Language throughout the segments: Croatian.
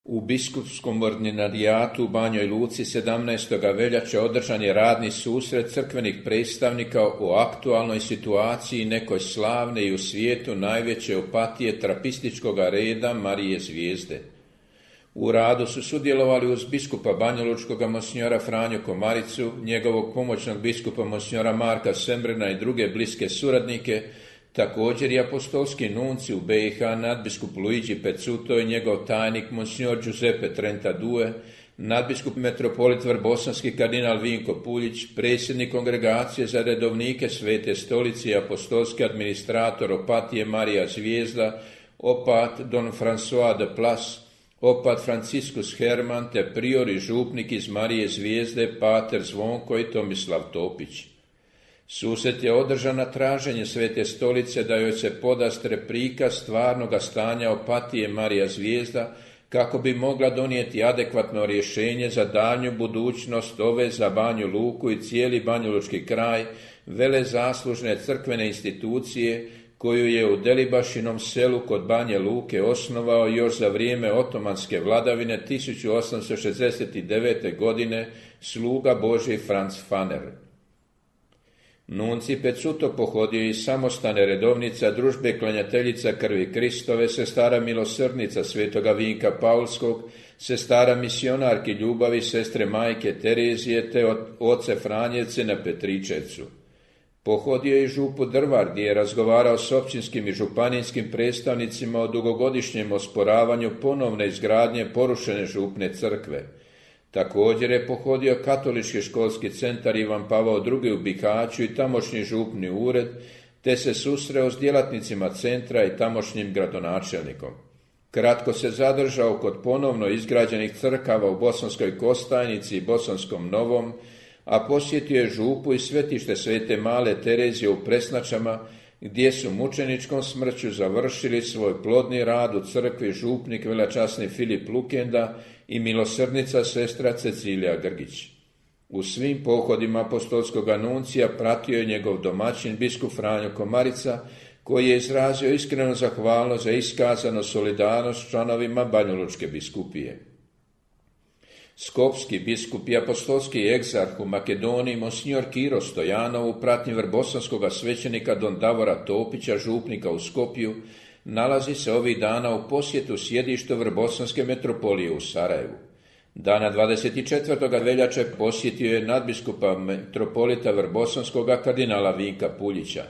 U biskupskom ordinarijatu u Banjoj Luci 17. veljače održan je radni susret crkvenih predstavnika o aktualnoj situaciji nekoj slavne i u svijetu najveće opatije trapističkog reda Marije Zvijezde. U radu su sudjelovali uz biskupa banjalučkog monsignora Franju Komaricu, njegovog pomoćnog biskupa monsignora Marka Sembrena i druge bliske suradnike, također i apostolski nunci u BiH nadbiskup Luigi Pezzuto i njegov tajnik monsignor Giuseppe Trentadue, nadbiskup metropolit Vrbosanski kardinal Vinko Puljić, predsjednik kongregacije za redovnike Svete stolice i apostolski administrator opatije Marija Zvijezda, opat Don François de Plas, opat Franciscus Herman te prior i župnik iz Marije Zvijezde pater Zvonko i Tomislav Topić. Susret je održan na traženje Svete stolice da joj se podastre prikaz stvarnoga stanja opatije Marija Zvijezda kako bi mogla donijeti adekvatno rješenje za daljnju budućnost ove za Banju Luku i cijeli banjalučki kraj velezaslužne crkvene institucije koju je u Delibašinom selu kod Banje Luke osnovao još za vrijeme otomanske vladavine 1869. godine sluga Božji Franz Faner. Nunci Pezzuto pohodio iz samostane redovnica družbe klanjateljica krvi Kristove, sestara milosrdnica svetoga Vinka Paulskog, sestara misionarki ljubavi sestre majke Terezije te oce Franjevce na Petričevcu. Pohodio je i župu Drvar gdje je razgovarao s općinskim i županijskim predstavnicima o dugogodišnjem osporavanju ponovne izgradnje porušene župne crkve. Također je pohodio katolički školski centar Ivan Pavao II u Bihaću i tamošnji župni ured, te se susreo s djelatnicima centra i tamošnjim gradonačelnikom. Kratko se zadržao kod ponovno izgrađenih crkava u Bosanskoj Kostajnici i Bosanskom Novom, a posjetio je župu i svetište Svete Male Terezije u Presnačama, gdje su mučeničkom smrću završili svoj plodni rad u crkvi župnik velečasni Filip Lukenda i milosrdnica sestra Cecilija Grgić. U svim pohodima apostolskog nuncija pratio je njegov domaćin biskup Franjo Komarica, koji je izrazio iskrenu zahvalnost za iskazanu solidarnost članovima Banjalučke biskupije. Skopski biskup i apostolski egzarh u Makedoniji monsignor Kiro Stojanov u pratnji vrbosanskog svećenika Don Davora Topića, župnika u Skopju, nalazi se ovih dana u posjetu sjedištu Vrbosanske metropolije u Sarajevu. Dana 24. veljače posjetio je nadbiskupa metropolita Vrbosanskog kardinala Vinka Puljića.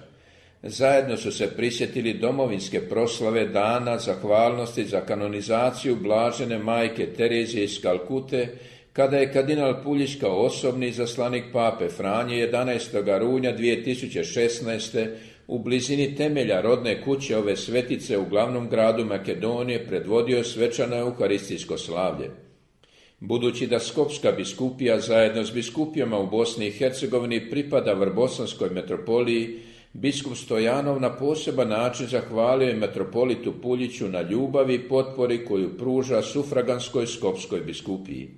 Zajedno su se prisjetili domovinske proslave dana zahvalnosti za kanonizaciju blažene majke Terezije iz Kalkute, kada je kardinal Puljić kao osobni izaslanik pape Franje 11. rujna 2016. u blizini temelja rodne kuće ove svetice u glavnom gradu Makedonije predvodio svečano euharistijsko slavlje. Budući da Skopska biskupija zajedno s biskupijama u Bosni i Hercegovini pripada Vrbosanskoj metropoliji, biskup Stojanov na poseban način zahvalio je metropolitu Puljiću na ljubavi i potpori koju pruža sufraganskoj Skopskoj biskupiji.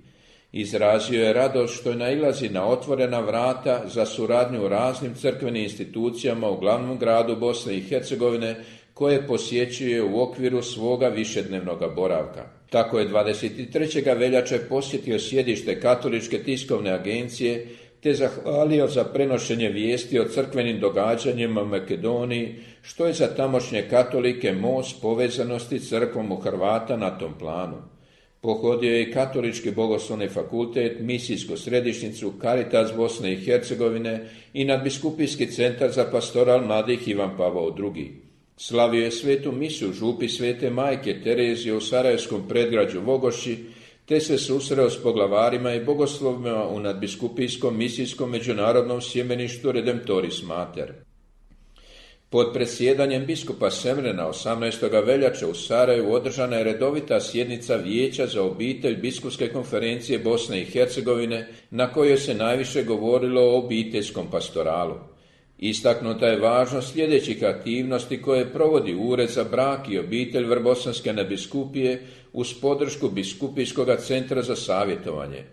Izrazio je radost što je nailazi na otvorena vrata za suradnju u raznim crkvenim institucijama u glavnom gradu Bosne i Hercegovine, koje posjećuje u okviru svoga višednevnog boravka. Tako je 23. veljače posjetio sjedište Katoličke tiskovne agencije te zahvalio za prenošenje vijesti o crkvenim događanjima u Makedoniji, što je za tamošnje katolike most povezanosti crkvom u Hrvata na tom planu. Pohodio je i Katolički bogoslovni fakultet, misijsku središnjicu Caritas Bosne i Hercegovine i nadbiskupijski centar za pastoral mladih Ivan Pavao II. Slavio je svetu misu župi Svete majke Terezije u sarajevskom predgrađu Vogoši, te se susreo s poglavarima i bogoslovima u nadbiskupijskom misijskom međunarodnom sjemeništu Redemptoris Mater. Pod predsjedanjem biskupa Semrena 18. veljače u Sarajevu održana je redovita sjednica Vijeća za obitelj Biskupske konferencije Bosne i Hercegovine, na kojoj se najviše govorilo o obiteljskom pastoralu. Istaknuta je važnost sljedećih aktivnosti koje provodi Ured za brak i obitelj Vrbosanske nadbiskupije uz podršku Biskupijskog centra za savjetovanje.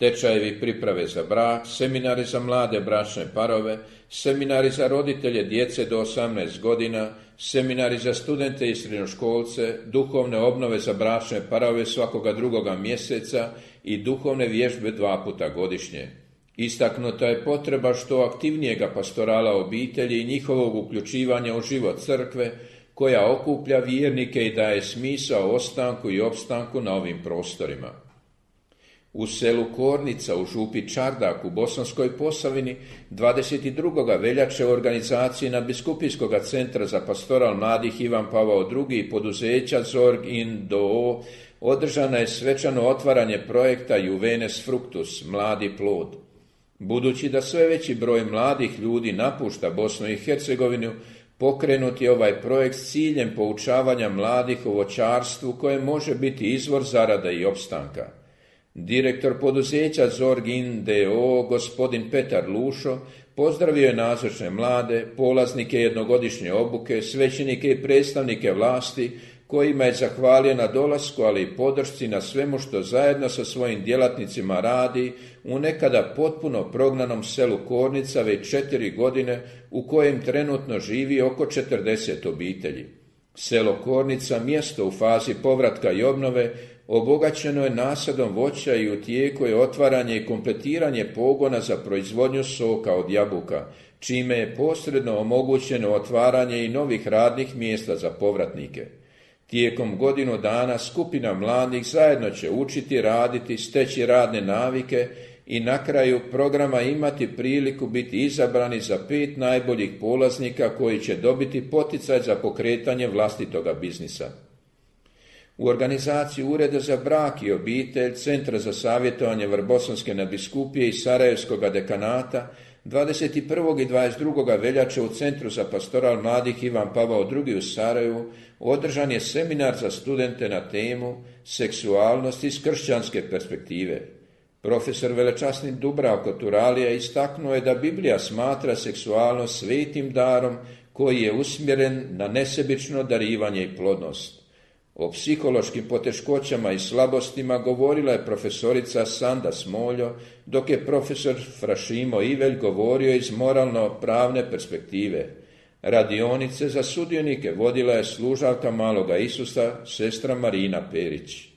tečajevi priprave za brak, seminari za mlade bračne parove, seminari za roditelje djece do 18 godina, seminari za studente i srednjoškolce, duhovne obnove za bračne parove svakoga drugoga mjeseca i duhovne vježbe 2 puta godišnje. Istaknuta je potreba što aktivnijega pastorala obitelji i njihovog uključivanja u život crkve, koja okuplja vjernike i daje smisao ostanku i opstanku na ovim prostorima. U selu Kornica u župi Čardak u Bosanskoj Posavini 22. veljače u organizaciji Nadbiskupijskog centra za pastoral mladih Ivan Pavao II i poduzeća Zorg in d.o.o. održano je svečano otvaranje projekta Juvenes Fructus, mladi plod. Budući da sve veći broj mladih ljudi napušta Bosnu i Hercegovinu, pokrenut je ovaj projekt s ciljem poučavanja mladih o voćarstvu koje može biti izvor zarada i opstanka. Direktor poduzeća Zorg in d.o.o. gospodin Petar Lušo pozdravio je nazočne mlade, polaznike jednogodišnje obuke, svećenike i predstavnike vlasti, kojima je zahvalio na dolasku, ali i podršci na svemu što zajedno sa svojim djelatnicima radi u nekada potpuno prognanom selu Kornica već 4 godine, u kojem trenutno živi oko 40 obitelji. Selo Kornica, mjesto u fazi povratka i obnove, obogaćeno je nasadom voća i u tijeku je otvaranje i kompletiranje pogona za proizvodnju soka od jabuka, čime je posredno omogućeno otvaranje i novih radnih mjesta za povratnike. Tijekom godinu dana skupina mladih zajedno će učiti, raditi, steći radne navike i na kraju programa imati priliku biti izabrani za 5 najboljih polaznika koji će dobiti poticaj za pokretanje vlastitoga biznisa. U organizaciji Ureda za brak i obitelj, Centra za savjetovanje Vrbosanske nadbiskupije i Sarajevskog dekanata 21. i 22. veljače u Centru za pastoral mladih Ivan Pavao II u Sarajevu održan je seminar za studente na temu seksualnost iz kršćanske perspektive. Profesor velečasni Dubravko Turalija istaknuo je da Biblija smatra seksualnost svetim darom koji je usmjeren na nesebično darivanje i plodnost. O psihološkim poteškoćama i slabostima govorila je profesorica Sanda Smoljo, dok je profesor Frašimo Ivelj govorio iz moralno-pravne perspektive. Radionice za sudionike vodila je služavka Maloga Isusa, sestra Marina Perić.